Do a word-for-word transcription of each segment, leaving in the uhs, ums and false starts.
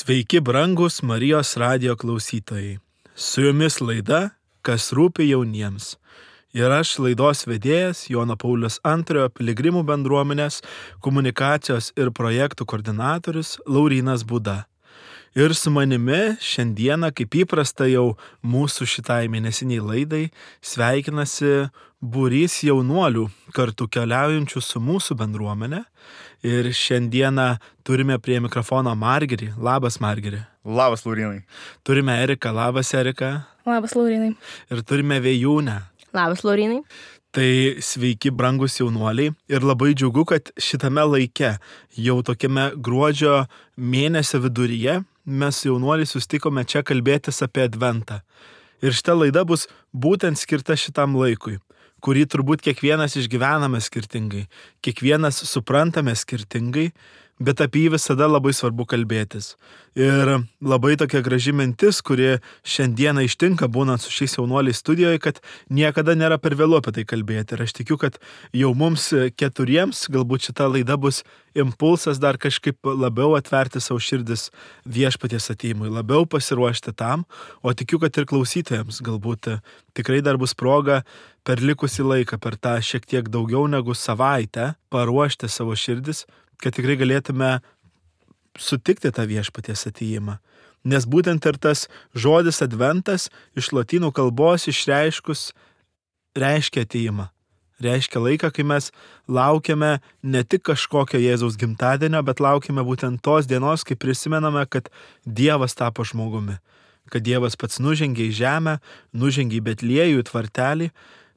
Sveiki, brangus Marijos radijo klausytojai. Su jumis laida, kas rūpi jauniems. Ir aš laidos vedėjas Jono Pauliaus antrojo piligrimų bendruomenės komunikacijos ir projektų koordinatorius Laurynas Būda. Ir su manimi šiandieną, kaip įprasta jau mūsų šitai mėnesiniai laidai, sveikinasi būrys jaunuolių kartu keliaujančių su mūsų bendruomenė. Ir šiandieną turime prie mikrofono Margerį. Labas, Margerį. Labas, Laurynai. Turime Eriką. Labas, Erika. Labas, Laurynai. Ir turime Vėjūnę. Labas, Laurynai. Tai sveiki, brangus jaunuoliai. Ir labai džiugu, kad šitame laike, jau tokiame gruodžio mėnesio viduryje, mes jaunuoliai sustikome čia kalbėtis apie Adventą. Ir šita laida bus būtent skirta šitam laikui, kurį turbūt kiekvienas išgyvename skirtingai, kiekvienas suprantame skirtingai, bet apie jį visada labai svarbu kalbėtis. Ir labai tokia graži mintis, kuri šiandieną ištinka būnant su šiais jaunuoliais studijoje, kad niekada nėra per vėlu apie tai kalbėti. Ir aš tikiu, kad jau mums keturiems galbūt šita laida bus impulsas dar kažkaip labiau atverti savo širdis viešpaties atėjimui, labiau pasiruošti tam, o tikiu, kad ir klausytojams galbūt tikrai dar bus proga per likusį laiką, per tą šiek tiek daugiau negu savaitę paruošti savo širdis, kad tikrai galėtume sutikti tą viešpaties atėjimą. Nes būtent ir tas žodis adventas iš lotynų kalbos išreiškus reiškia atėjimą. Reiškia laiką, kai mes laukiame ne tik kažkokio Jėzaus gimtadienio, bet laukiame būtent tos dienos, kai prisimename, kad Dievas tapo žmogumi. Kad Dievas pats nužengė į žemę, nužengė į Betliejų, į tvartelį,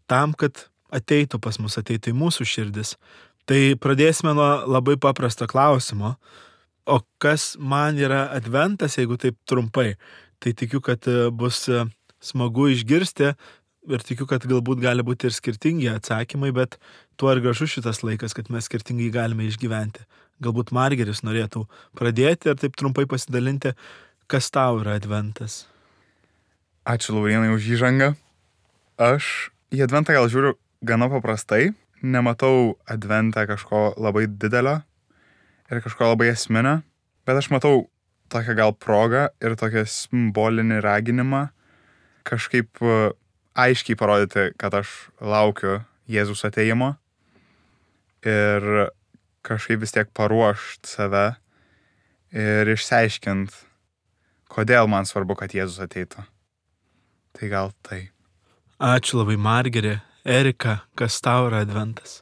tam, kad ateitų pas mus, ateitų į mūsų širdis. Tai pradėsime nuo labai paprasto klausimo. O kas man yra adventas, jeigu taip trumpai? Tai tikiu, kad bus smagu išgirsti ir tikiu, kad galbūt gali būti ir skirtingi atsakymai, bet tuo ir gražu šitas laikas, kad mes skirtingai galime išgyventi. Galbūt Margeris norėtų pradėti ir taip trumpai pasidalinti, kas tau yra adventas. Ačiū, Laurynai, už įžangą. Aš į adventą gal žiūriu gana paprastai. Nematau adventą kažko labai didelio ir kažko labai esminio, bet aš matau tokią gal progą ir tokią simbolinį raginimą kažkaip aiškiai parodyti, kad aš laukiu Jėzus atėjimo ir kažkaip vis tiek paruošt save ir išsiaiškint, kodėl man svarbu, kad Jėzus ateitų. Tai gal tai. Ačiū labai, Margerį. Erika, kas tau yra adventas?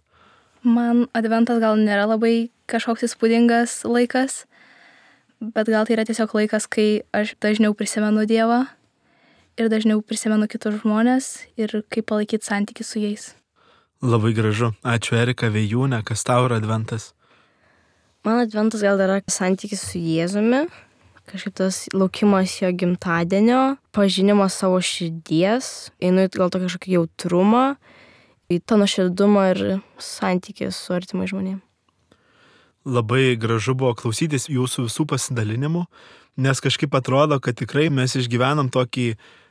Man adventas gal nėra labai kažkoks įspūdingas laikas, bet gal tai yra tiesiog laikas, kai aš dažniau prisimenu Dievą ir dažniau prisimenu kitus žmonės ir kaip palaikyti santykį su jais. Labai gražu. Ačiū, Erika. Vėjūnė, kas tau yra adventas? Man adventas gal yra santykis su Jėzumi, kažkaip tas laukimas jo gimtadienio, pažinimas savo širdies, einu į gal tokį kažkokį jautrumą, į tą nuoširdumą ir santykį su artimai žmonėm. Labai gražu buvo klausytis jūsų visų pasidalinimų, nes kažkaip atrodo, kad tikrai mes išgyvenam tokį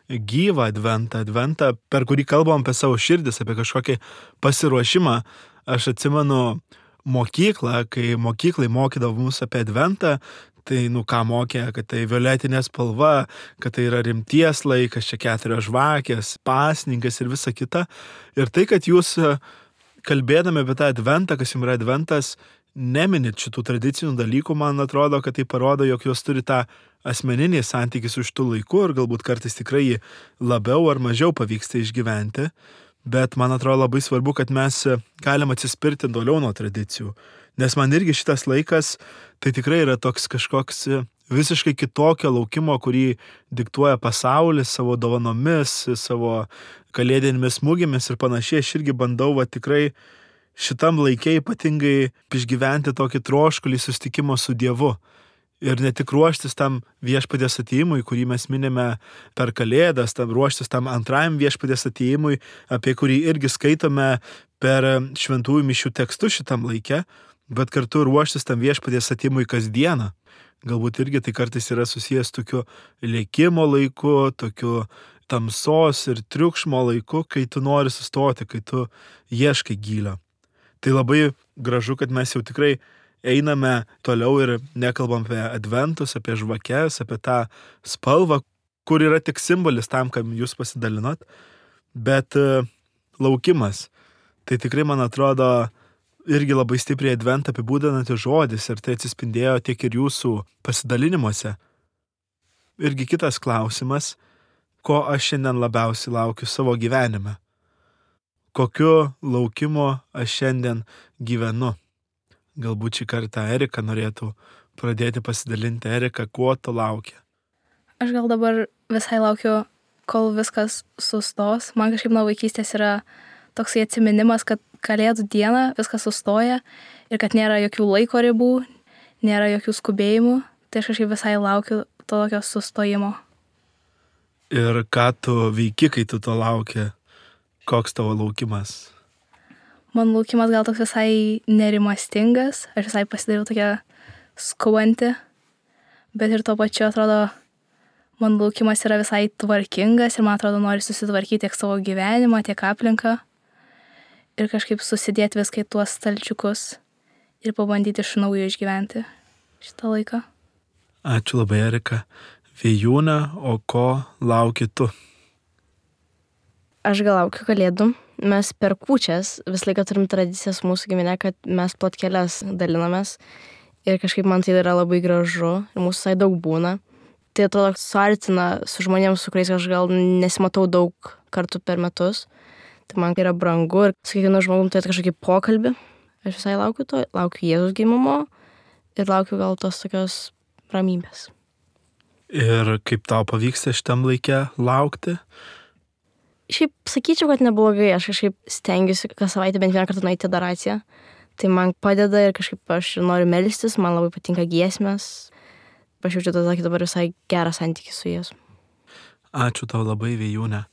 gyvą adventą, adventą, per kurį kalbam apie savo širdis, apie kažkokį pasiruošimą. Aš atsimenu mokyklą, kai mokyklai mokydavo mus apie adventą, tai, nu, ką mokė, kad tai violetinė spalva, kad tai yra rimties laikas, čia keturios žvakės, pasninkas ir visa kita. Ir tai, kad jūs kalbėdami apie tą adventą, kas jums yra adventas, neminit šitų tradicinių dalykų, man atrodo, kad tai parodo, jog jūs turi tą asmeninį santykį su šitų laiku ir galbūt kartais tikrai jį labiau ar mažiau pavyksta išgyventi. Bet man atrodo labai svarbu, kad mes galim atsispirti toliau nuo tradicijų. Nes man irgi šitas laikas tai tikrai yra toks kažkoks visiškai kitokio laukimo, kurį diktuoja pasaulis savo dovanomis, savo kalėdinėmis smūgimis ir panašiai. Aš irgi bandau va tikrai šitam laikė ypatingai išgyventi tokį troškulį susitikimo su Dievu. Ir ne tik ruoštis tam viešpaties atėjimui, kurį mes minime per Kalėdas, tam ruoštis tam antrajam viešpaties atėjimui, apie kurį irgi skaitome per šventųjų mišių tekstus šitam laike, bet kartu ruoštis tam viešpaties atėjimui kasdieną. Galbūt irgi tai kartais yra susijęs tokiu lėkimo laiku, tokiu tamsos ir triukšmo laiku, kai tu nori sustoti, kai tu ieškai gylio. Tai labai gražu, kad mes jau tikrai einame toliau ir nekalbam apie adventus, apie žvakes, apie tą spalvą, kur yra tik simbolis tam, kam jūs pasidalinot, bet laukimas. Tai tikrai, man atrodo, irgi labai stipriai adventą apibūdinantis žodis ir tai atsispindėjo tiek ir jūsų pasidalinimuose. Irgi kitas klausimas, ko aš šiandien labiausiai laukiu savo gyvenime. Kokiu laukimu aš šiandien gyvenu. Galbūt šį kartą Erika norėtų pradėti pasidalinti. Erika, kuo tu laukia? Aš gal dabar visai laukiu, kol viskas sustos. Man kažkaip nuo vaikystės yra toksai atsiminimas, kad Kalėdų dieną viskas sustoja ir kad nėra jokių laiko ribų, nėra jokių skubėjimų. Tai aš kažkaip visai laukiu to tokio sustojimo. Ir ką tu veiki, kai tu to lauki? Koks tavo laukimas? Man laukimas gal toks visai nerimastingas. Aš visai pasidariau tokia skubanti. Bet ir tuo pačiu atrodo, man laukimas yra visai tvarkingas ir man atrodo nori susitvarkyti tiek savo gyvenimą, tiek aplinką. Ir kažkaip susidėti viską į tuos stalčiukus ir pabandyti iš naujo išgyventi šitą laiką. Ačiū labai, Erika. Vėjūna, o ko lauki tu? Aš gal laukiu Kalėdų. Mes per kūčias visą laiką turim tradicijas mūsų giminė, kad mes plotkeles dalinamės. Ir kažkaip man tai yra labai gražu ir mūsų visai daug būna. Tai atrodo suartina su žmonėms, su kuriais aš gal nesimatau daug kartų per metus. Tai man yra brangu ir su kiekvienu žmogum turėti kažkokį pokalbį. Aš visai laukiu to, laukiu Jėzaus gimimo ir laukiu gal tos tokios ramybės. Ir kaip tau pavyksta šitam laike laukti? Šiaip sakyčiau, kad neblogai. Aš kažkaip stengiuosi kas savaitę bent vieną kartą nueiti į adoraciją. Tai man padeda ir kažkaip aš noriu melstis, man labai patinka giesmės. Aš jaučiu tada dabar visai gerą santykį su Jėzum. Ačiū tau labai, Vėjūne.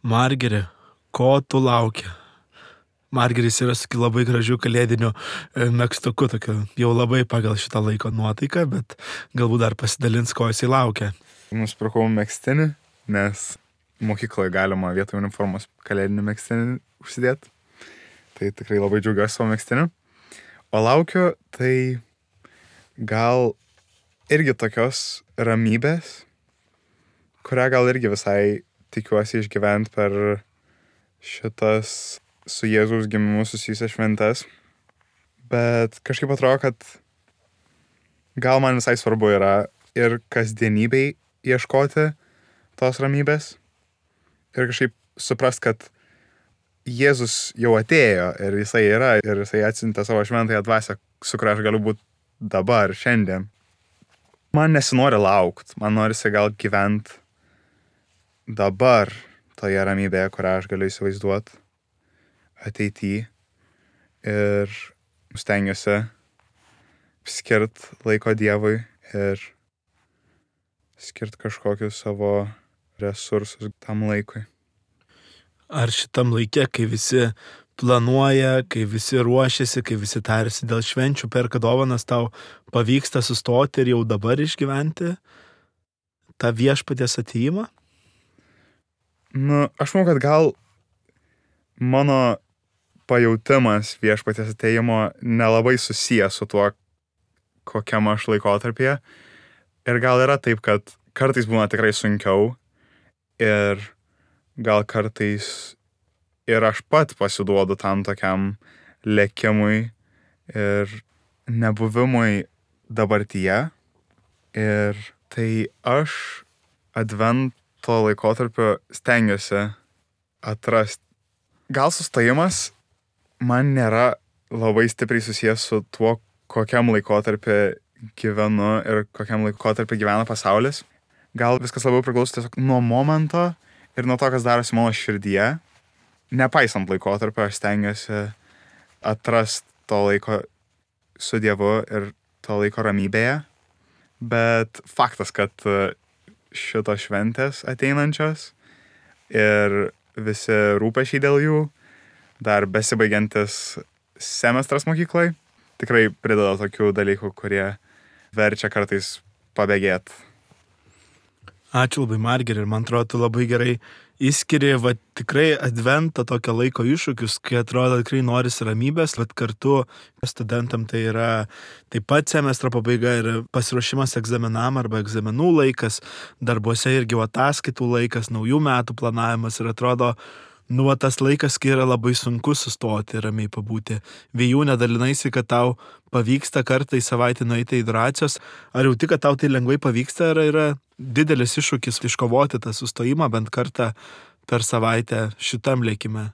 Margeri, ko tu lauki? Margeris yra su labai gražiu kalėdiniu megztuku, tokiu jau labai pagal šitą laiko nuotaiką, bet galbūt dar pasidalins, ko jisai laukia. Nusipirkau megztinį, nes mokykloje galima vietoj uniformos kalėdinį megztinį užsidėti. Tai tikrai labai džiaugiuosi savo megztiniu. O laukiu, tai gal irgi tokios ramybės, kurią gal irgi visai tikiuosi išgyventi per šitas su Jėzaus gimimu susijusias šventes. Bet kažkaip atrodo, kad gal man visai svarbu yra ir kasdienybei ieškoti tos ramybės. Ir kažkaip suprast, kad Jėzus jau atėjo ir jisai yra ir jisai atsiuntė savo šventąją dvasią, su kuria aš galiu būti dabar, šiandien. Man nesinori laukt, man norisi gal gyvent dabar toje ramybėje, kurią aš galiu įsivaizduoti ateityje ir stengiuosi skirt laiko Dievui ir skirt kažkokius savo resursus tam laikui. Ar šitam laike, kai visi planuoja, kai visi ruošiasi, kai visi tarsi dėl švenčių, perka dovanas, tau pavyksta sustoti ir jau dabar išgyventi tą viešpaties atėjimą? Nu, aš manau, kad gal mano pajautimas viešpaties atėjimo nelabai susijęs su tuo, kokiam aš laikotarpyje. Ir gal yra taip, kad kartais būna tikrai sunkiau ir gal kartais ir aš pat pasiduodu tam tokiam lėkimui ir nebuvimui dabartyje. Ir tai aš advento laikotarpio stengiuosi atrasti. Gal sustojimas man nėra labai stipriai susijęs su tuo, kokiam laikotarpį gyvenu ir kokiam laikotarpį gyvena pasaulis. Gal viskas labiau priklauso tiesiog nuo momento ir nuo to, kas darosi mano širdyje. Nepaisant laikotarpio, aš stengiuosi atrasti to laiko su Dievu ir to laiko ramybėje. Bet faktas, kad šitos šventės ateinančios ir visi rūpesčiai dėl jų, dar besibaigiantis semestras mokyklai, tikrai prideda tokių dalykų, kurie verčia kartais pabėgėti. Ačiū labai, Margeri, ir man atrodo, tu labai gerai įskiri, va, tikrai advento tokio laiko iššūkius, kai atrodo tikrai norisi ramybės, bet kartu studentam tai yra taip pat semestro pabaiga ir pasiruošimas egzaminam arba egzaminų laikas, darbuose irgi ataskaitų laikas, naujų metų planavimas ir atrodo, nu, va, tas laikas, kai yra labai sunku sustoti ir ramiai pabūti. Vėjūne, dalinaisi, kad tau pavyksta kartą į savaitę nueiti į adoracijos. Ar jau tik, kad tau tai lengvai pavyksta, ar yra didelis iššūkis iškovoti tą sustojimą bent kartą per savaitę šitam lėkime?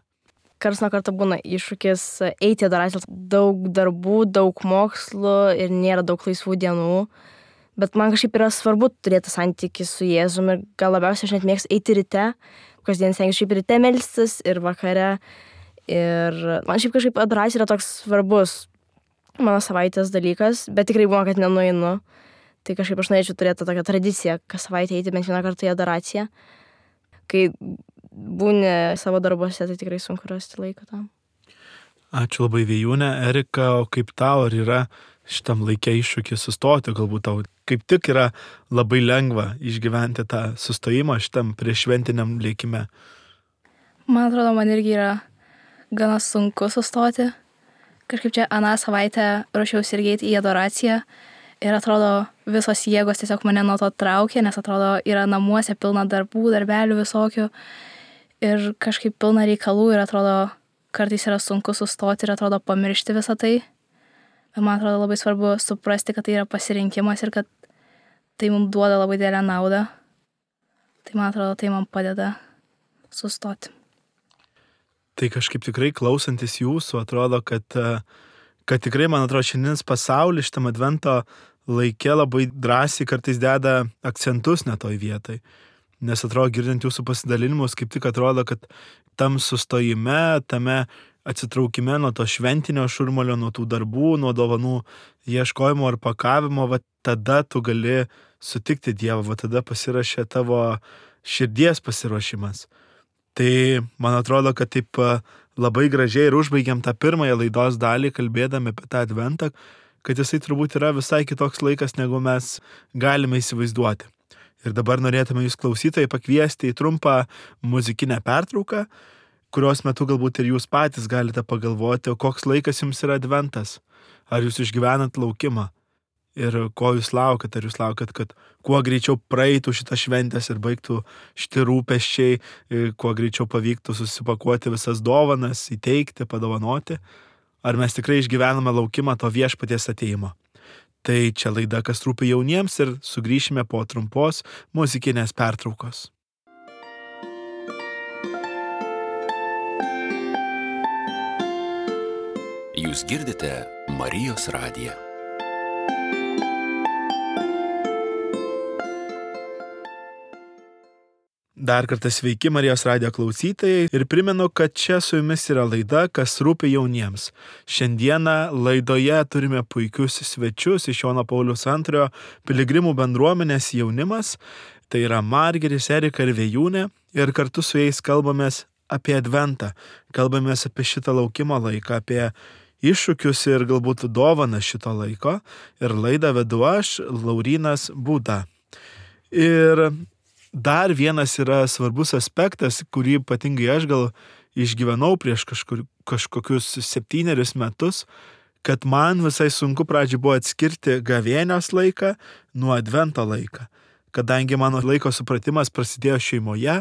Karts nuo karto būna iššūkis eiti į adoracijas. Daug darbų, daug mokslų ir nėra daug laisvų dienų. Bet man kažkaip yra svarbu turėti santykį su Jėzumi ir gal labiausiai aš net mėgstu eiti ryte. Kasdien stengiuosi šiaip ryte melstis ir vakare. Ir man šiaip kažkaip adoracija yra toks svarbus mano savaitės dalykas, bet tikrai būna, kad nenueinu. Tai kažkaip aš norėčiau turėti tokią tradiciją, kas savaitę eiti bent vieną kartą į adoraciją. Kai būni savo darbuose, tai tikrai sunku rasti laiko tam. Ačiū labai, Vėjūne. Erika, o kaip tau, ar yra šitam laikė iššūkį sustoti, galbūt tau kaip tik yra labai lengva išgyventi tą sustojimą šitam prieššventiniam lėkime? Man atrodo, man irgi yra gana sunku sustoti. Kažkaip čia aną savaitę ruošiausi irgi eiti į adoraciją ir atrodo visos jėgos tiesiog mane nuo to traukė, nes atrodo yra namuose pilna darbų, darbelių visokių ir kažkaip pilna reikalų ir atrodo kartais yra sunku sustoti ir atrodo pamiršti visą tai. Bet man atrodo labai svarbu suprasti, kad tai yra pasirinkimas ir kad tai mums duoda labai didelę naudą. Tai man atrodo, tai man padeda sustoti. Tai kažkaip tikrai klausantis jūsų, atrodo, kad, kad tikrai, man atrodo, šiandienis pasaulis šitam advento laike labai drąsiai kartais deda akcentus netoj vietai. Nes atrodo, girdint jūsų pasidalinimus, kaip tik atrodo, kad tam sustojime, tame atsitraukime nuo to šventinio šurmulio, nuo tų darbų, nuo dovanų ieškojimo ar pakavimo, va tada tu gali sutikti Dievą, va tada pasirašė tavo širdies pasiruošimas. Tai man atrodo, kad taip labai gražiai ir užbaigiam tą pirmąją laidos dalį, kalbėdami apie tą adventą, kad jisai turbūt yra visai kitoks laikas, negu mes galime įsivaizduoti. Ir dabar norėtume jūs klausytojai pakviesti į trumpą muzikinę pertrauką, kurios metu galbūt ir jūs patys galite pagalvoti, o koks laikas jums yra adventas. Ar jūs išgyvenat laukimą? Ir ko jūs laukat? Ar jūs laukat, kad kuo greičiau praeitų šitą šventės ir baigtų šitie rūpesčiai, kuo greičiau pavyktų susipakuoti visas dovanas, įteikti, padovanoti? Ar mes tikrai išgyvename laukimą to viešpaties atėjimo? Tai čia laida, kas rūpi jauniems ir sugrįšime po trumpos muzikinės pertraukos. Jūs girdite Marijos radiją. Dar kartą sveiki Marijos radijo klausytojai ir primenu, kad čia su jumis yra laida, kas rūpi jauniems. Šiandieną laidoje turime puikius svečius iš Jono Pauliaus antrojo piligrimų bendruomenės jaunimas. Tai yra Margeris, Erika ir Vėjūnė ir kartu su jais kalbamės apie adventą. Kalbamės apie šitą laukimo laiką, apie iššūkius ir galbūt dovaną šito laiko. Ir laidą vedu aš, Laurynas Būda. Ir dar vienas yra svarbus aspektas, kurį ypatingai aš gal išgyvenau prieš kažkur, kažkokius septynerius metus, kad man visai sunku pradžiai buvo atskirti gavėnios laiką nuo advento laiką. Kadangi mano laiko supratimas prasidėjo šeimoje,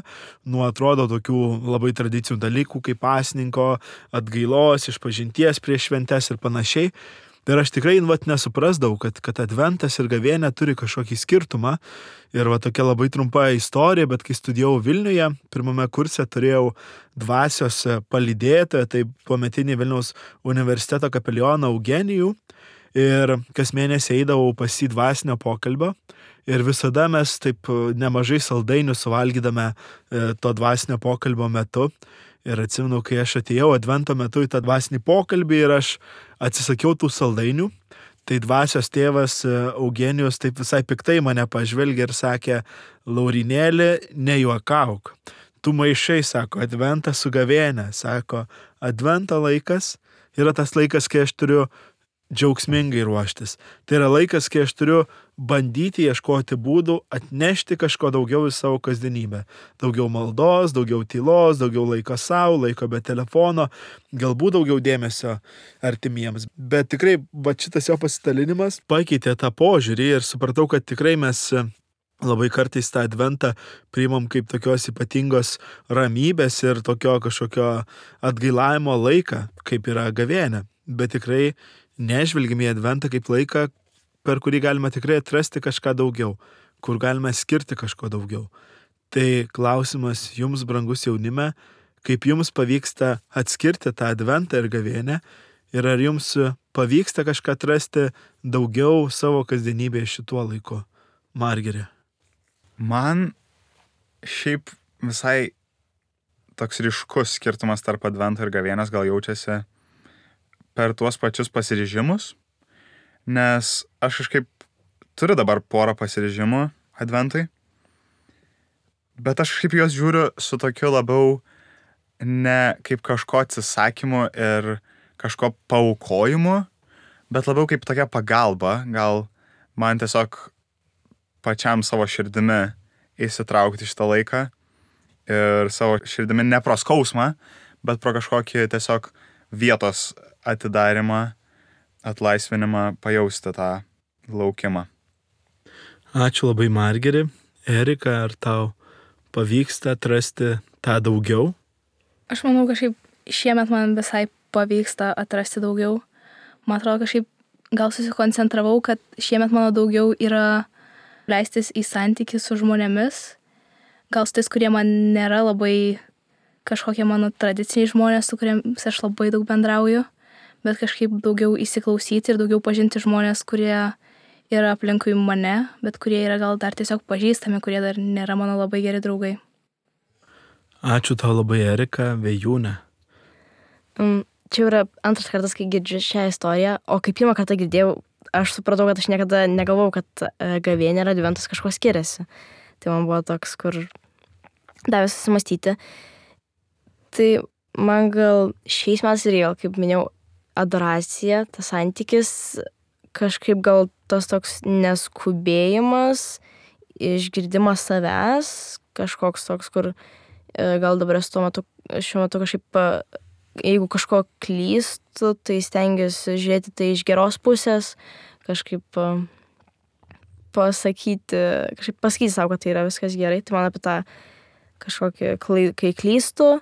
nuo atrodo tokių labai tradicinių dalykų kaip pasninko, atgailos, išpažinties prieš šventes ir panašiai. Ir aš tikrai vat, nesuprasdavau, kad, kad adventas ir gavėnė turi kažkokį skirtumą. Ir va tokia labai trumpa istorija, bet kai studijavau Vilniuje, pirmame kurse turėjau dvasios palydėtoją, tai tuometinį Vilniaus universiteto kapelioną Eugenijų. Ir kas mėnesį eidavau pas jį dvasinio pokalbio. Ir visada mes taip nemažai saldainių suvalgydame to dvasinio pokalbio metu. Ir atsimenu, kai aš atėjau advento metu į tą dvasinį pokalbį ir aš atsisakiau tų saldainių, tai dvasios tėvas Eugenijus taip visai piktai mane pažvelgė ir sakė, Laurinėli, nejuokauk. Tu maišai, sako, adventą su gavėne. Sako, advento laikas yra tas laikas, kai aš turiu džiaugsmingai ruoštis. Tai yra laikas, kai aš turiu bandyti ieškoti būdų atnešti kažko daugiau į savo kasdienybę. Daugiau maldos, daugiau tylos, daugiau laiko savo, laiko be telefono, galbūt daugiau dėmesio artimiems. Bet tikrai va šitas jo pasidalinimas pakeitė tą požiūrį ir supratau, kad tikrai mes labai kartais tą adventą priimam kaip tokios ypatingos ramybės ir tokio kažkokio atgailavimo laiką, kaip yra gavėnia. Bet tikrai nežvelgime į adventą kaip laiką, per kurį galime tikrai atrasti kažką daugiau, kur galime skirti kažko daugiau. Tai klausimas jums, brangus jaunime, kaip jums pavyksta atskirti tą adventą ir gavėnią ir ar jums pavyksta kažką atrasti daugiau savo kasdienybėje šituo laiku. Margeri. Man šiaip visai toks ryškus skirtumas tarp advento ir gavėnios gal jaučiasi per tuos pačius pasiryžimus, nes aš kažkaip turiu dabar porą pasiryžimų adventui, bet aš kažkaip juos žiūriu su tokiu labiau ne kaip kažko atsisakymu ir kažko paaukojimu, bet labiau kaip tokia pagalba, gal man tiesiog pačiam savo širdimi įsitraukti šitą laiką ir savo širdimi ne pro skausmą, bet pro kažkokį tiesiog vietos atidarimą, atlaisvinimą, pajausti tą laukimą. Ačiū labai, Margeri. Erika, ar tau pavyksta atrasti tą daugiau? Aš manau, kažkaip šiemet man visai pavyksta atrasti daugiau. Man atrodo, kažkaip gal susikoncentravau, kad šiemet mano daugiau yra leistis į santykį su žmonėmis. Gal su tais, kurie man nėra labai kažkokie mano tradiciniai žmonės, su kuriems aš labai daug bendrauju, bet kažkaip daugiau įsiklausyti ir daugiau pažinti žmonės, kurie yra aplinkui mane, bet kurie yra gal dar tiesiog pažįstami, kurie dar nėra mano labai geri draugai. Ačiū tau labai, Erika. Vėjūne. Um, čia yra antras kartas, kai girdžiu šią istoriją, o kai pirmą kartą girdėjau, aš supratau, kad aš niekada negalvojau, kad uh, gavėnia ir adventas kažko skiriasi. Tai man buvo toks, kur davė susimastyti. Tai man gal šiais metais ir gal, kaip minėjau, adoracija, tas santykis, kažkaip gal tas toks neskubėjimas, išgirdimas savęs, kažkoks toks, kur gal dabar esu tuo metu, šiuo metu kažkaip, jeigu kažko klystu, tai stengiuosi žiūrėti tai iš geros pusės, kažkaip pasakyti, kažkaip pasakyti savo, kad tai yra viskas gerai, tai man apie tą kažkokį, kai klystu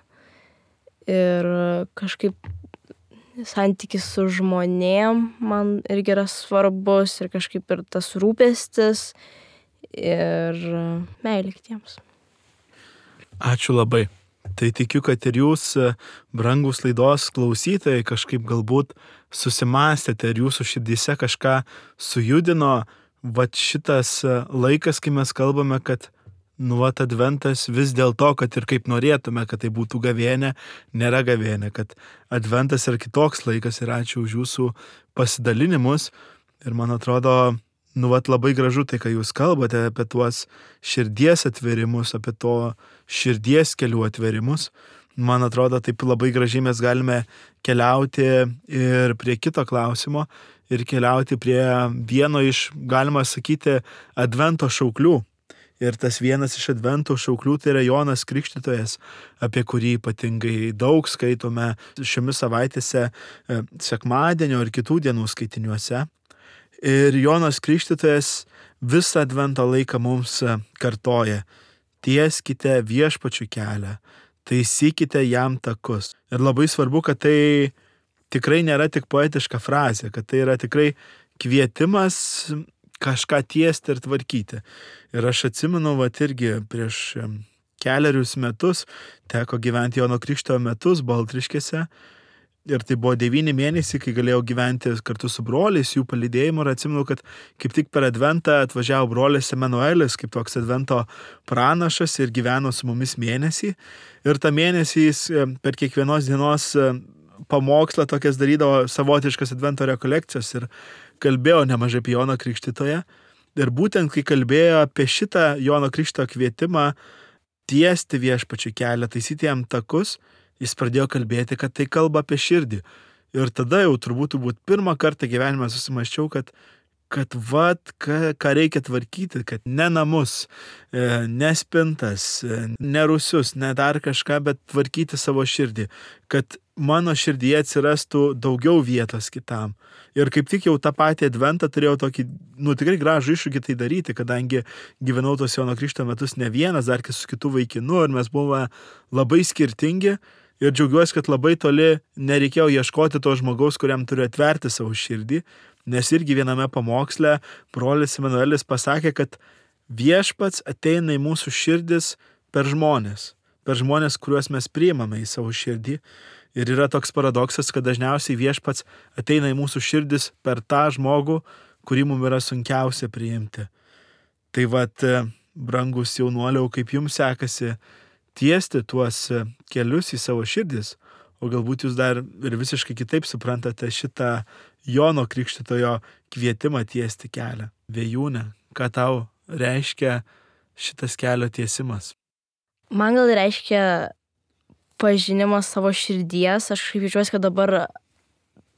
ir kažkaip santykis su žmonėm man irgi yra svarbus ir kažkaip ir tas rūpestis ir meilė kitiems. Ačiū labai. Tai tikiu, kad ir jūs, brangus laidos klausytojai, kažkaip galbūt susimąstėte ir jūsų širdyse kažką sujudino. Vat šitas laikas, kai mes kalbame, kad nu, vat adventas vis dėl to, kad ir kaip norėtume, kad tai būtų gavėnė, nėra gavėnė, kad adventas yra kitoks laikas ir ačiū už jūsų pasidalinimus. Ir man atrodo, nu, vat labai gražu tai, ką jūs kalbate apie tuos širdies atverimus, apie to širdies kelių atverimus. Man atrodo, taip labai gražiai mes galime keliauti ir prie kito klausimo ir keliauti prie vieno iš, galima sakyti, advento šauklių. Ir tas vienas iš advento šauklių tai yra Jonas Krikštytojas, apie kurį ypatingai daug skaitome šiomis savaitėse sekmadienio ir kitų dienų skaitiniuose. Ir Jonas Krikštytojas visą advento laiką mums kartoja: tieskite viešpačių kelią, taisykite jam takus. Ir labai svarbu, kad tai tikrai nėra tik poetiška frazė, kad tai yra tikrai kvietimas kažką tiesti ir tvarkyti. Ir aš atsimenu, vat irgi prieš keliarius metus teko gyventi Jono Krikštytojo metus Baltriškėse. Ir tai buvo devyni mėnesiai, kai galėjau gyventi kartu su broliais, jų palydėjimu. Ir atsimenu, kad kaip tik per adventą atvažiavo brolis Emanuelis, kaip toks advento pranašas ir gyveno su mumis mėnesį. Ir tą mėnesį jis per kiekvienos dienos pamokslą tokias darydavo savotiškas advento rekolekcijas ir kalbėjo nemažai apie Joną Krikštytoją. Ir būtent, kai kalbėjo apie šitą Jono Krikštytojo kvietimą tiesti viešpačių kelią, taisyti jam takus, jis pradėjo kalbėti, kad tai kalba apie širdį. Ir tada jau turbūt, turbūt pirmą kartą gyvenime susimaščiau, kad kad vat, ką, ką reikia tvarkyti, kad ne namus, ne spintas, ne rūsius, ne dar kažką, bet tvarkyti savo širdį, kad mano širdyje atsirastų daugiau vietos kitam. Ir kaip tik jau tą patį adventą turėjau tokį, nu tikrai gražų iššūkį tai daryti, kadangi gyvenau tos Jono Krikšto metus ne vienas, dar su kitu vaikinu, ir mes buvome labai skirtingi. Ir džiaugiuosi, kad labai toli nereikėjo ieškoti to žmogaus, kuriam turiu atverti savo širdį, nes irgi viename pamoksle brolis Emanuelis pasakė, kad viešpats ateina į mūsų širdis per žmonės, per žmonės, kuriuos mes priimame į savo širdį. Ir yra toks paradoksas, kad dažniausiai viešpats ateina į mūsų širdis per tą žmogų, kurį mums yra sunkiausia priimti. Tai vat, brangus jaunuoliau, kaip jums sekasi tiesti tuos kelius į savo širdis, o galbūt jūs dar ir visiškai kitaip suprantate šitą Jono Krikštytojo kvietimą tiesti kelią. Vėjūne, ką tau reiškia šitas kelio tiesimas? Man gal reiškia pažinimas savo širdies. Aš kažkaip jaučiuosi, kad dabar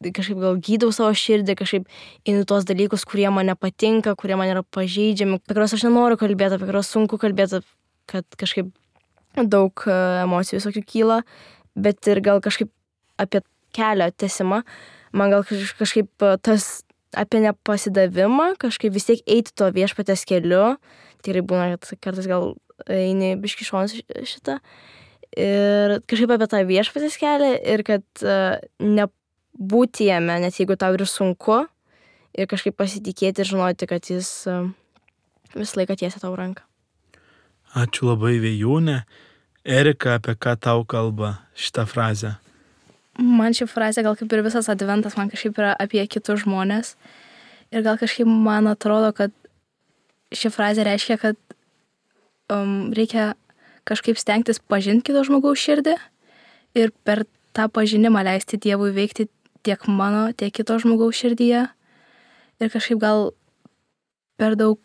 kažkaip gal gydau savo širdį, kažkaip einu tuos dalykus, kurie man nepatinka, kurie man yra pažeidžiami, apie kuriuos aš nenoriu kalbėti, apie kuriuos sunku kalbėti, kad kažkaip daug emocijų visokių kyla, bet ir gal kažkaip apie kelio tęsimą, man gal kažkaip tas apie nepasidavimą, kažkaip vis tiek eiti to viešpatės keliu, tikrai būna, kad kartais gal eini biškį šonas šitą, ir kažkaip apie tą viešpatės kelią ir kad nebūti jame, net jeigu tau ir sunku, ir kažkaip pasitikėti ir žinoti, kad jis visą laiką tiesia tau ranką. Ačiū labai, Vėjūne. Erika, apie ką tau kalba šitą frazę? Man ši frazė, gal kaip ir visas adventas, man kažkaip yra apie kitus žmonės. Ir gal kažkaip man atrodo, kad ši frazė reiškia, kad um, reikia kažkaip stengtis pažinti kito žmogaus širdį ir per tą pažinimą leisti Dievui veikti tiek mano, tiek kito žmogaus širdyje. Ir kažkaip gal per daug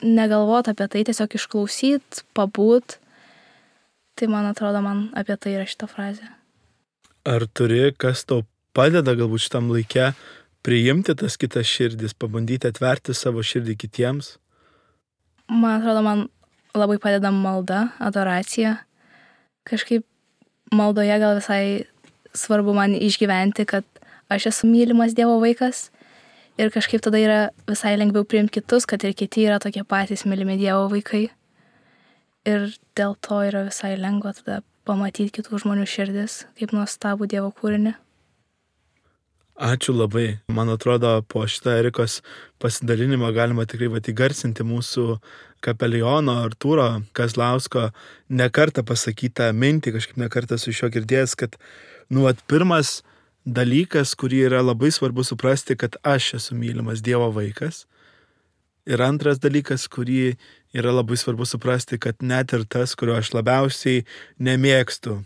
negalvoti apie tai, tiesiog išklausyti, pabūt. Tai man atrodo, man apie tai yra šita frazė. Ar turi, kas tau padeda galbūt šitam laike priimti tas kitas širdis, pabandyti atverti savo širdį kitiems? Man atrodo, man labai padeda malda, adoracija. Kažkaip maldoje gal visai svarbu man išgyventi, kad aš esu mylimas Dievo vaikas. Ir kažkaip tada yra visai lengviau priimti kitus, kad ir kiti yra tokie patys mylimi Dievo vaikai. Ir dėl to yra visai lengva tada pamatyti kitų žmonių širdis, kaip nuostabų Dievo kūrinį. Ačiū labai. Man atrodo, po šitą Erikos pasidalinimą galima tikrai vat įgarsinti mūsų kapeliono Artūro Kazlausko nekartą pasakytą mintį, kažkaip nekartą su šio girdėjęs, kad nu, vat, pirmas dalykas, kurį yra labai svarbu suprasti, kad aš esu mylimas Dievo vaikas. Ir antras dalykas, kurį yra labai svarbu suprasti, kad net ir tas, kurio aš labiausiai nemėgstu,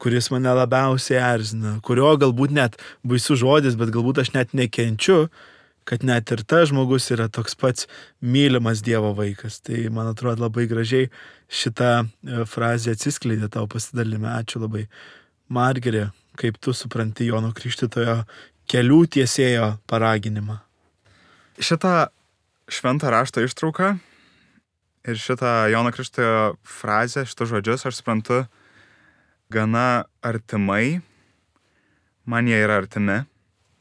kuris mane labiausiai erzina, kurio galbūt net baisus žodis, bet galbūt aš net nekenčiu, kad net ir tas žmogus yra toks pats mylimas Dievo vaikas. Tai, man atrodo, labai gražiai šitą frazę atsiskleidė tavo pasidalime. Ačiū labai. Margerė, kaip tu supranti Jono Krikštytojo kelių tiesėjo paraginimą? Šitą šventą rašto ištrauką ir šitą Jono Krikštytojo frazę, šitus žodžius aš suprantu gana artimai, man jie yra artimi.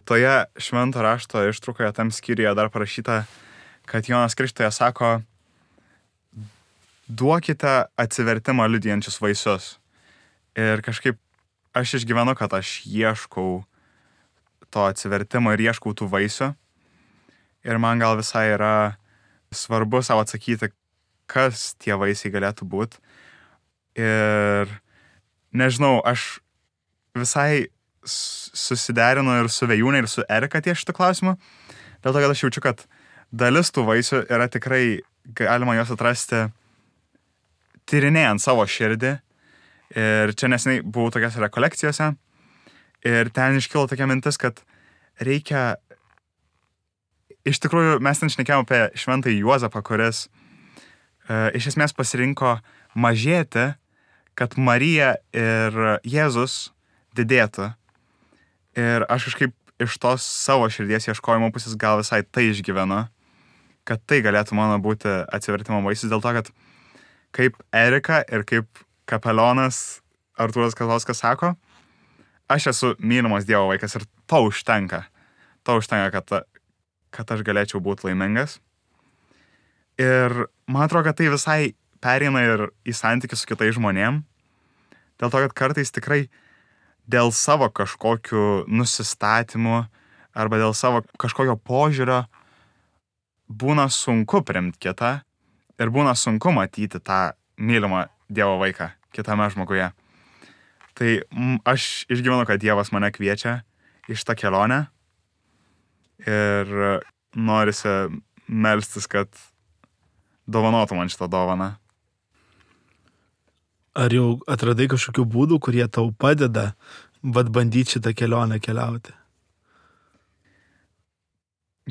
Toje švento rašto ištraukoje tam skyriuje dar parašyta, kad Jonas Krikštytojas sako, duokite atsivertimą liudijančius vaisius. Ir kažkaip aš išgyvenu, kad aš ieškau to atsivertimo ir ieškau tų vaisių. Ir man gal visai yra svarbu savo atsakyti, kas tie vaisiai galėtų būti. Ir nežinau, aš visai susiderinu ir su Vėjūne, ir su Erika ties šitą klausimą. Dėl to, kad aš jaučiu, kad dalis tų vaisių yra tikrai, galima juos atrasti tyrinėjant savo širdį. Ir čia neseniai buvau tokiose rekolekcijose. Ir ten iškilo tokia mintis, kad reikia... Iš tikrųjų, mes ten šnekėjome apie šventąjį Juozapą, kuris e, iš esmės pasirinko mažėti, kad Marija ir Jėzus didėtų. Ir aš kažkaip iš tos savo širdies ieškojimo pusės gal visai tai išgyvenu, kad tai galėtų mano būti atsivertimo vaisius, dėl to, kad kaip Erika ir kaip kapelionas Artūras Kazlauskas sako, aš esu mylimas Dievo vaikas ir to užtenka. To užtenka, kad, kad aš galėčiau būti laimingas. Ir man atrodo, kad tai visai pereina ir į santykių su kitais žmonėm. Dėl to, kad kartais tikrai dėl savo kažkokių nusistatymų arba dėl savo kažkokio požiūrio būna sunku priimti kitą ir būna sunku matyti tą mylimą Dievo vaiką kitame žmoguje. Tai m, aš išgyvenu, kad Dievas mane kviečia į šitą kelionę ir norisi melstis, kad dovanotų man šitą dovaną. Ar jau atradai kažkokių būdų, kurie tau padeda vat bandyti šitą kelionę keliauti?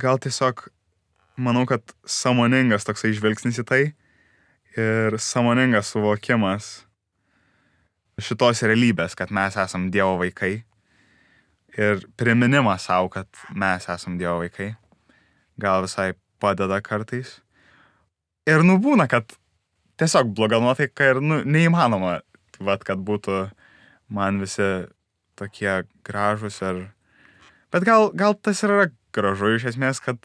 Gal tiesiog manau, kad sąmoningas toksai žvilgsnis į tai ir sąmoningas suvokimas šitos realybės, kad mes esam Dievo vaikai ir priminimas savo, kad mes esam Dievo vaikai, gal visai padeda kartais. Ir nu būna, kad tiesiog bloga nuotaika ir nu, neįmanoma, vat, kad būtų man visi tokie gražus ir... Bet gal, gal tas yra gražu iš esmės, kad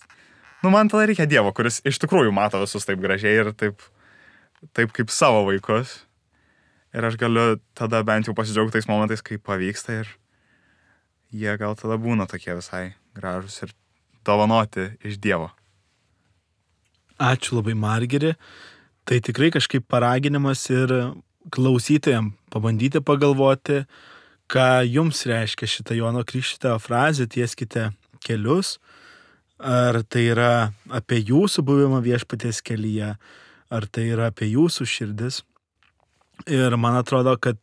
nu, man tada reikia Dievo, kuris iš tikrųjų mato visus taip gražiai ir taip, taip kaip savo vaikus. Ir aš galiu tada bent jau pasidžiaugti tais momentais, kai pavyksta ir jie gal tada būna tokie visai gražus ir dovanoti iš Dievo. Ačiū labai, Margeri. Tai tikrai kažkaip paraginimas ir klausytojams pabandyti pagalvoti, ką jums reiškia šitą Jono Krikštytojo frazę tieskite kelius. Ar tai yra apie jūsų buvimą viešpaties kelyje, ar tai yra apie jūsų širdis. Ir man atrodo, kad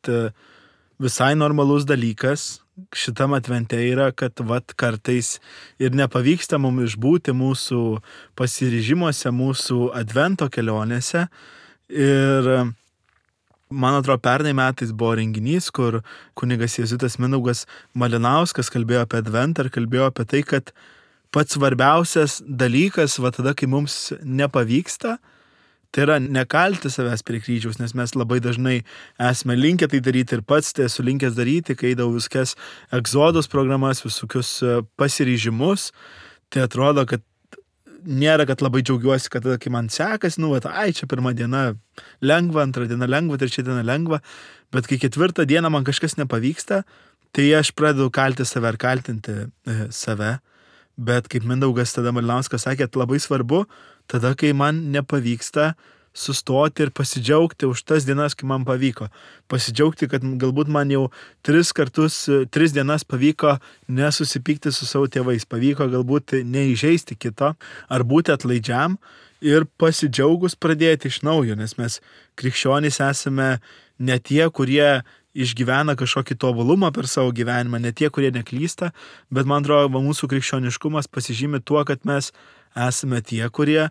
visai normalus dalykas šitam advente yra, kad vat kartais ir nepavyksta mums išbūti mūsų pasiryžimuose, mūsų advento kelionėse. Ir man atrodo, pernai metais buvo renginys, kur kunigas jėzuitas Mindaugas Malinauskas kalbėjo apie adventą ir kalbėjo apie tai, kad pats svarbiausias dalykas, va tada, kai mums nepavyksta, tai yra nekalti savęs prie kryžiaus, nes mes labai dažnai esame linkę tai daryti ir pats tai esu linkęs daryti, kai eidavau viskas egzodos programas, visokius pasiryžimus, tai atrodo, kad nėra, kad labai džiaugiuosi, kad tada, kai man sekasi, nu, va, ai, čia pirma diena lengva, antra diena lengva, trečia diena lengva, bet kai ketvirtą dieną man kažkas nepavyksta, tai aš pradedu kalti save ar kaltinti e, save. Bet kaip Mindaugas tada Malinauskas sakė, labai svarbu, tada, kai man nepavyksta, sustoti ir pasidžiaugti už tas dienas, kai man pavyko. Pasidžiaugti, kad galbūt man jau tris kartus, tris dienas pavyko nesusipykti su savo tėvais, pavyko galbūt neįžeisti kito, ar būti atlaidžiam ir pasidžiaugus pradėti iš naujo, nes mes krikščionys esame ne tie, kurie išgyvena kažkokį tobulumą per savo gyvenimą, ne tie, kurie neklysta, bet man atrodo, mūsų krikščioniškumas pasižymi tuo, kad mes esame tie, kurie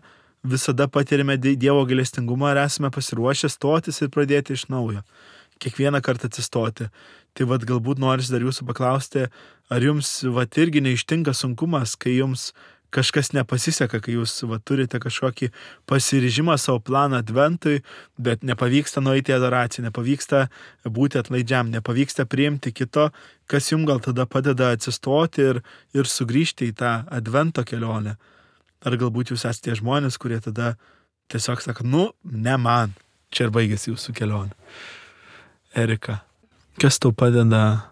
visada patirime Dievo gailestingumą ir esame pasiruošę stotis ir pradėti iš naujo. Kiekvieną kartą atsistoti. Tai vat galbūt norisi dar jūsų paklausti, ar jums vat irgi neištinka sunkumas, kai jums kažkas nepasiseka, kai jūs va, turite kažkokį pasiryžimą savo planą adventui, bet nepavyksta nueiti į adoraciją, nepavyksta būti atlaidžiam, nepavyksta priimti kito, kas jums gal tada padeda atsistoti ir, ir sugrįžti į tą advento kelionę. Ar galbūt jūs esate tie žmonės, kurie tada tiesiog sako, nu, ne man, čia ir baigėsi jūsų kelionė. Erika, kas tau padeda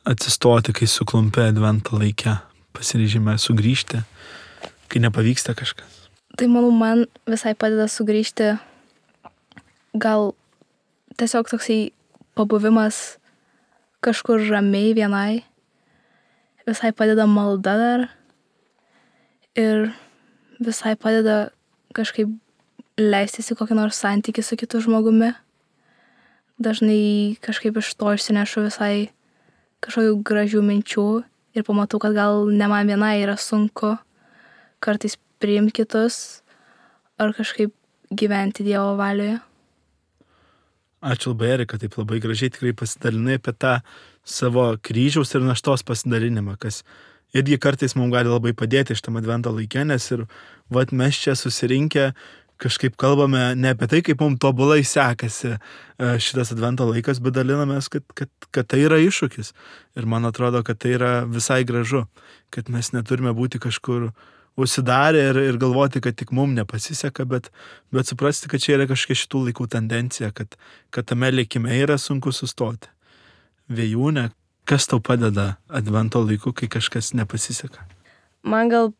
atsistoti, kai suklumpi advento laike? Pasiryžime sugrįžti, kai nepavyksta kažkas? Tai manau, man visai padeda sugrįžti gal tiesiog toksai pabuvimas kažkur ramiai vienai. Visai padeda malda dar. Ir visai padeda kažkaip leistis į kokį nors santykį su kitu žmogumi. Dažnai kažkaip iš to išsinešu visai kažkokių gražių minčių. Ir pamatau, kad gal ne man vienai yra sunku kartais priimti kitus ar kažkaip gyventi Dievo valioje. Ačiū labai, Erika, taip labai gražiai tikrai pasidalinai apie tą savo kryžiaus ir naštos pasidalinimą, kas irgi kartais mums gali labai padėti iš tam advento laikė, nes ir vat mes čia susirinkę kažkaip kalbame ne apie tai, kaip mums tobulai sekasi šitas advento laikas, bet dalinamės, kad, kad, kad tai yra iššūkis. Ir man atrodo, kad tai yra visai gražu, kad mes neturime būti kažkur užsidarę ir, ir galvoti, kad tik mums nepasiseka, bet, bet suprasti, kad čia yra kažkokia šitų laikų tendencija, kad, kad tame likime yra sunku sustoti. Vėjūne, kas tau padeda advento laiku, kai kažkas nepasiseka? Man gal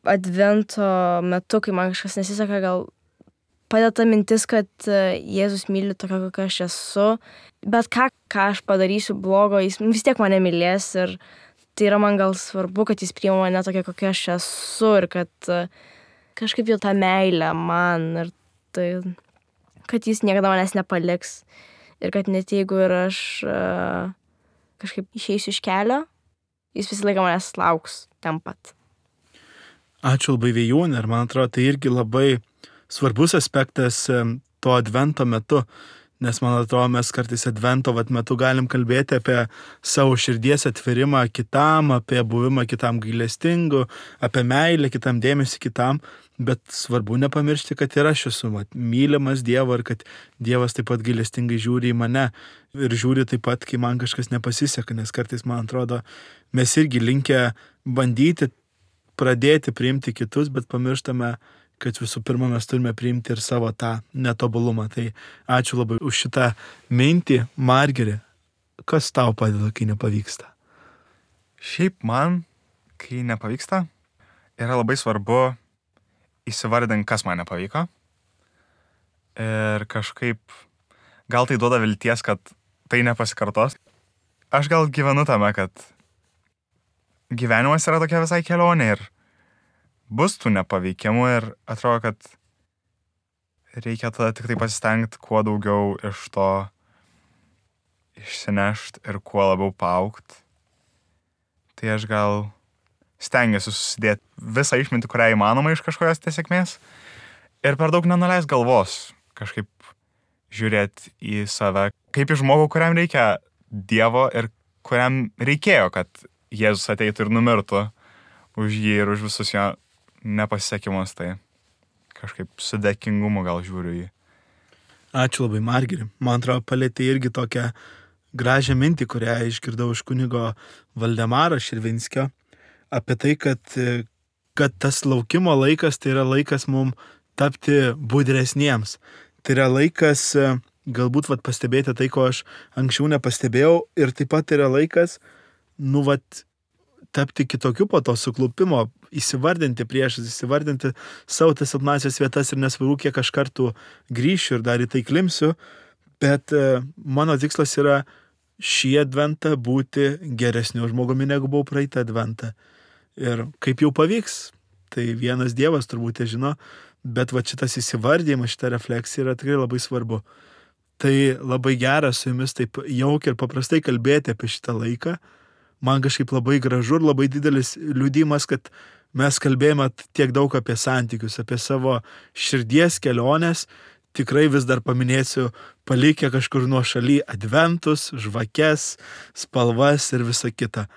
advento metu, kai man kažkas nesiseka, gal padeda mintis, kad Jėzus myli tokia, kokia aš esu, bet ką, ką aš padarysiu blogo, jis vis tiek mane mylės ir tai yra man gal svarbu, kad jis priima mane tokia, kokia aš esu ir kad kažkaip jau tą meilę man ir tai, kad jis niekada manęs nepaliks ir kad net jeigu ir aš uh, kažkaip išeisiu iš kelio, jis visą laiką manęs lauks ten pat. Ačiū labai, Vėjūne, ir man atrodo, tai irgi labai svarbus aspektas to advento metu, nes man atrodo, mes kartais advento vat, metu galim kalbėti apie savo širdies atvirimą kitam, apie buvimą kitam gailestingu, apie meilę kitam, dėmesį kitam, bet svarbu nepamiršti, kad ir aš esu vat, mylimas Dievo ir kad Dievas taip pat gailestingai žiūri į mane ir žiūri taip pat, kai man kažkas nepasiseka, nes kartais, man atrodo, mes irgi linkę bandyti pradėti priimti kitus, bet pamirštame, kad visų pirma mes turime priimti ir savo tą netobulumą. Tai ačiū labai už šitą mintį. Margeri, kas tau padeda, kai nepavyksta? Šiaip man, kai nepavyksta, yra labai svarbu įsivardinti, kas man nepavyko. Ir kažkaip gal tai duoda vilties, kad tai nepasikartos. Aš gal gyvenu tame, kad gyvenimas yra tokia visai kelionė ir bus tų nepaveikimų ir atrodo, kad reikia tada tik tai pasistengti kuo daugiau iš to išsinešti ir kuo labiau paaugt. Tai aš gal stengiuosi susidėti visą išmintį, kurią įmanoma iš kažkokios tiesėkmės ir per daug nenuleis galvos kažkaip žiūrėti į save, kaip į žmogų, kuriam reikia Dievo ir kuriam reikėjo, kad Jėzus ateitų ir numirtų už jį ir už visus jo nepasisekimus, tai kažkaip su dėkingumu gal žiūriu jį. Ačiū labai, Margeri. Man atrodo, palėtė irgi tokią gražią mintį, kurią išgirdau iš kunigo Valdemaro Širvinskio, apie tai, kad, kad tas laukimo laikas tai yra laikas mums tapti budresniems. Tai yra laikas galbūt vat, pastebėti tai, ko aš anksčiau nepastebėjau, ir taip pat yra laikas, nu, vat, tapti kitokiu po to suklupimo, įsivardinti priešas, įsivardinti savo tas silpnasias vietas ir nesvarbu, kiek aš kartų grįšiu ir dar į tai klimsiu, bet e, mano tikslas yra šį adventą būti geresniu žmogumi, negu buvau praeitą adventą. Ir kaip jau pavyks, tai vienas Dievas turbūt žino, bet va šitas įsivardymas, šita refleksija yra tikrai labai svarbu. Tai labai gera su jumis taip jaukiai ir paprastai kalbėti apie šitą laiką. Man kažkaip labai gražu ir labai didelis liudimas, kad mes kalbėjome tiek daug apie santykius, apie savo širdies keliones. Tikrai vis dar paminėsiu, palikę kažkur nuo šaly adventus, žvakes, spalvas ir visa kita.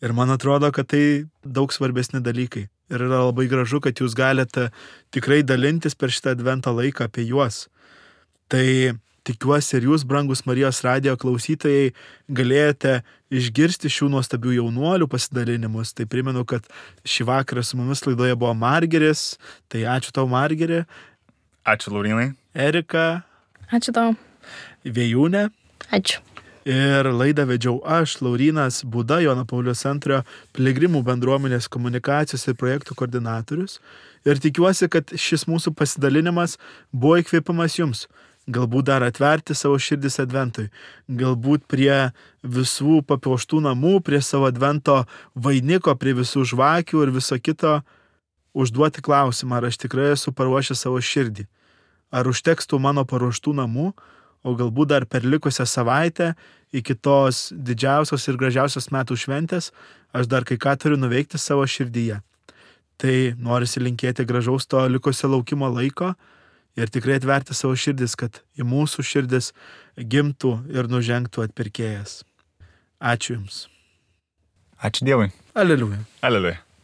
Ir man atrodo, kad tai daug svarbesni dalykai. Ir yra labai gražu, kad jūs galite tikrai dalintis per šitą advento laiką apie juos. Tai tikiuosi ir jūs, brangus Marijos radijo klausytojai, galėjote išgirsti šių nuostabių jaunuolių pasidalinimus. Tai primenu, kad šį vakarą su mumis laidoje buvo Margeris. Tai ačiū tau, Margeri. Ačiū, Laurynai. Erika. Ačiū tau. Vėjūne. Ačiū. Ir laidą vedžiau aš, Laurynas Buda, Jono Pauliaus antrojo piligrimų bendruomenės komunikacijos ir projektų koordinatorius. Ir tikiuosi, kad šis mūsų pasidalinimas buvo įkvėpimas jums. Galbūt dar atverti savo širdis adventui. Galbūt prie visų papuoštų namų, prie savo advento vainiko, prie visų žvakių ir viso kito užduoti klausimą, ar aš tikrai esu paruošęs savo širdį. Ar užteks tų mano paruoštų namų, o galbūt dar per likusią savaitę iki tos didžiausios ir gražiausios metų šventės aš dar kai ką turiu nuveikti savo širdyje. Tai norisi linkėti gražaus to likusio laukimo laiko ir tikrai atverti savo širdis, kad į mūsų širdis gimtų ir nužengtų atpirkėjas. Ačiū Jums. Ačiū Dievui. Aleliuja. Aleliuja.